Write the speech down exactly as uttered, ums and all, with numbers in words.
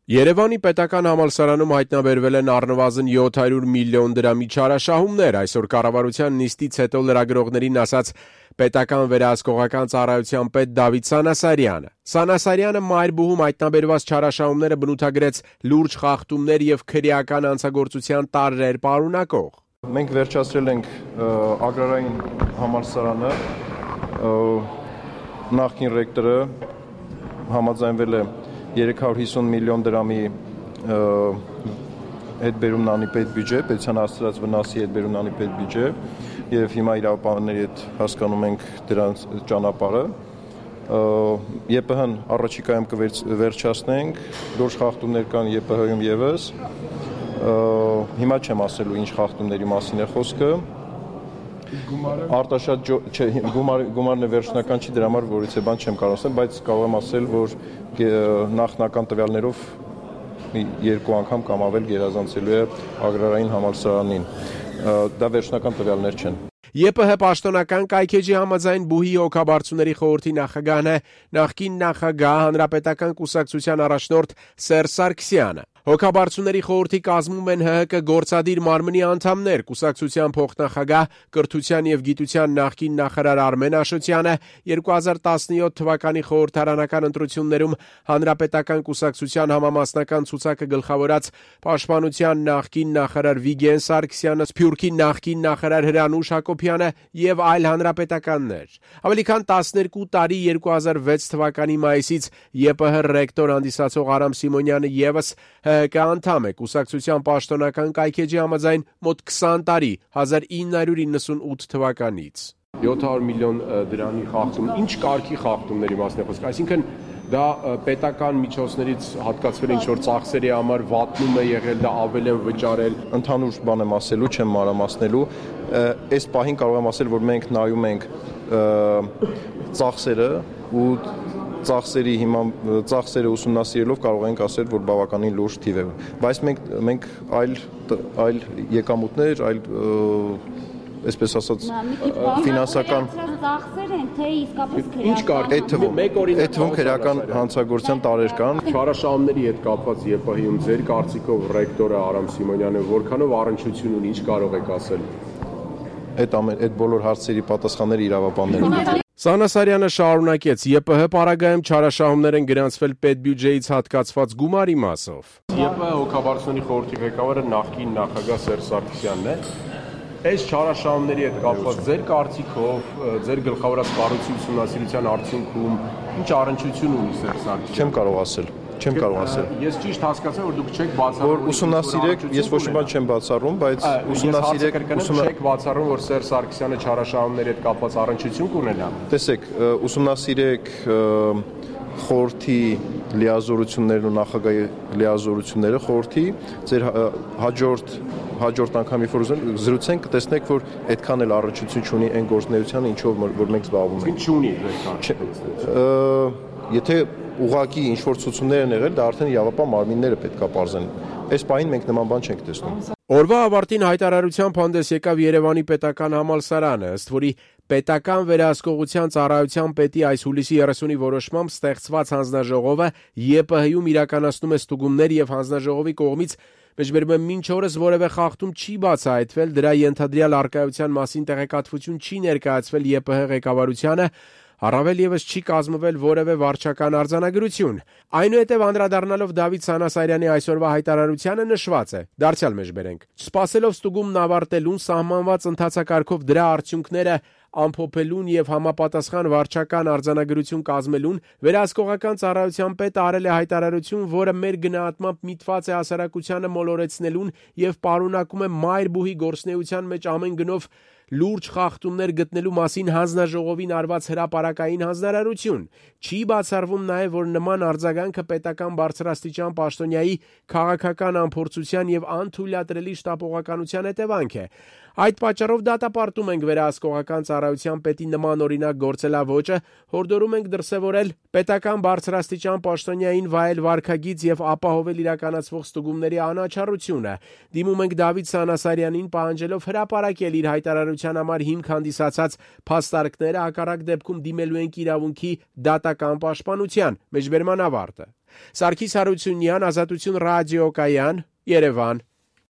Երևանի պետական համալսարանում հայտնաբերվել են առնվազն յոթ հարյուր միլիոն դրամի չարաշահումներ, այսօր կառավարության նիստից հետո լրագրողներին ասաց պետական վերահսկողական ծառայության պետ Դավիթ Սանասարյանը։ Սանասարյանը մայրբուհում հայտնաբերված չարաշահումները բնութագրեց լուրջ խախտումներ եւ քրեական հանցագործության տարրեր պարունակող։ Մենք վերջացրել ենք ագրարային համալսարանը, նախկին ռեկտորը համաձայնվել է երեք հարյուր հիսուն միլիոն դրամի հետբերումն անիպետ բյուջե, պետության հասցրած վնասի հետբերումն անիպետ բյուջե եւ հիմա իրավապահների հետ հասկանում ենք դրանց ճանապարհը։ ԵՊՀ-ն առաջիկայում կվերջացնենք, լուրջ խախտումներ կան ԵՊՀ-ում եւս։ Հիմա չեմ ասելու ինչ խախտումների մասին է խոսքը։ Արտաշատ գումարն վերջնական չի, դրա համար որից է բան չեմ կարող ասել, բայց կարող եմ ասել, որ նախնական տվյալներով երկու անգամ կամ ավել գերազանցելու է ագրարային համալսարանին։ Դա վերջնական տվյալներ չեն։ ԵՊՀ պաշտոնական կայքեջի համաձայն բուհի հոգաբարձուների խորհրդի նախագահն է նախկին նախագահ հանրապետական կուսակցության առաջնորդ Սերժ Սարգսյանը։ Հոգաբարձուների խորհրդի կազմում են ՀՀԿ գործադիր մարմնի անդամներ, կուսակցության փոխնախագահ, կրթության եւ գիտության նախկին նախարար Արմեն Աշոտյանը, երկու հազար տասնյոթ թվականի խորհրդարանական ընտրություններում հանրապետական կուսակցության համամասնական ցուցակը գլխավորած պաշտպանության նախկին նախարար Վիգեն Սարգսյանը, Սփյուռքի նախկին նախարար Հրանուշ Հակոբյանը եւ այլ հանրապետականներ։ Ավելի քան տասներկու տարի երկու հազար վեց թվականի մայիսից ԵՊՀ ռեկտոր հանդիսացող Արամ Սիմոնյանը եւս ՀՀԿ անդամ է, կուսակցության պաշտոնական կայքեջի համաձայն մոտ քսան տարի, հազար ինը հարյուր իննսունութ թվականից։ յոթ հարյուր միլիոն դրամի խախտում, ինչ կարգի խախտումների մասն է խոսքը, այսինքն դա պետական միջոցներից հատկացվել է ինչ-որ ծախսերի համար վատնում է եղել, դա ավել են վճարել։ Ընդհանուր բան եմ ասելու, չեմ մանրամասնելու, այս պահին կարող եմ ասել, որ մենք նայում ենք ծախսերը ու ծախսերի հիմա ծախսերը ուսումնասիրելով կարող ենք ասել, որ բավականին լուրջ թիվ է, բայց մենք մենք այլ այլ եկամուտներ, այլ այսպես ասած ֆինանսական ծախսեր են, թե իսկապես քրեական։ Ինչ կարգ այդ թվում, այդ թվում քրեական հանցագործության տարեր կան։ Չարաշահումների հետ կապված ԵՊՀ-ում ձեր կարծիքով ռեկտորը Արամ Սիմոնյանը որքանով առնչություն ունի, ինչ կարող եք ասել։ Այդ ամեն այդ բոլոր հարցերի պատասխանները իրավապահներն։ Սանասարյանը շարունակեց. ԵՊՀ պարագայում չարաշահումներ են գրանցվել պետբյուջեից հատկացված գումարի մասով։ ԵՊՀ հոգաբարձուների խորհրդի ղեկավարը նախկին նախագահ Սերժ Սարգսյանն է։ Այս չարաշահումների հետ կապված ձեր կարծիքով, ձեր գլխավորած կառույցի ուսումնասիրության արդյունքում ինչ առնչություն ունի Սերժ Սարգսյանը։ Չեմ կարող ասել։ Չեմ կարող ասել։ Ես ճիշտ հասկացա, որ դուք չեք բացառում, որ ուսումնասիրեք, ես ոչ մի բան չեմ բացառում, բայց ուսումնասիրեք, չեք բացառում, որ Սերժ Սարգսյանը չարաշահումների հետ կապված առնչություն կունենա։ Տեսեք, ուսումնասիրեք խորհրդի լիազորություններն ու նախագահի լիազորությունները խորհրդի, ձեր հաջորդ հաջորդ անգամ երբ որ զրուցենք կտեսնեք, որ այդքան էլ առնչություն չունի այն գործունեությանը, ինչով որ մենք զբաղվում ենք։ Ինչ ունի այդքան։ Եթե ուղղակի ինչ-որ ցուցումներ են եղել, դա արդեն իրավապահ մարմինները պետք է պարզեն։ Այս պահին մենք նման բան չենք տեսնում։ Օրվա ավարտին հայտարարությամբ հանդես եկավ Երևանի պետական համալսարանը, ըստ որի պետական վերահսկողության ծառայության պետի այս հուլիսի երեսունի որոշմամբ ստեղծված հանձնաժողովը ԵՊՀ-ում իրականացնում է ստուգումներ եւ հանձնաժողովի կողմից մեջբերում մինչ օրս որևէ խախտում չի բացահայտվել, դրա ենթադրյալ առկայության մասին տեղեկատվություն չի ներկայացվել ԵՊՀ ղեկավարությանը, առավել եւս չի կազմվել որևէ վարչական արձանագրություն։ Այնուհետև անդրադառնալով Դավիթ Սանասարյանի այսօրվա հայտարարությանը նշված է. Դարձյալ մեջբերենք. Սպասելով ստուգումն ավարտելուն սահմանված ընթացակարգով դրա արդյունքները ամփոփելուն եւ համապատասխան վարչական արձանագրություն կազմելուն վերահսկողական ծառայության պետը արել է հայտարարություն, որը մեր գնահատմամբ միտված է հասարակությանը մոլորեցնելուն եւ պարունակում է մայրբուհի գործնեության մեջ ամեն գնով լուրջ խախտումներ գտնելու մասին հանձնաժողովին արված հրապարակային հանձնարարություն։ Չի բացառվում նաև, որ նման արձագանքը պետական բարձրաստիճան պաշտոնյայի քաղաքական անփորձության եւ անթույլատրելի շտապողականության հետևանք է։ Այդ պատճառով դատապարտում ենք վերահսկողական ծառայության պետի նման օրինակ գործելավոճը, հորդորում ենք դրսևորել պետական բարձրաստիճան պաշտոնյային վայել վարքագիծ եւ ապահովել իրականացվող ստուգումների անաչառությունը։ Դիմում ենք Դավիթ Սանասարյանին պահանջելով հրապարակել իր հայտարարության համար հիմք հանդիսացած փաստարկները, հակառակ դեպքում դիմելու ենք իրավունքի դատական պաշտպանության։ Մեջբերման ավարտը։ Սարգիս Հարությունյան, Ազատություն ռադիոկայան, Երևան։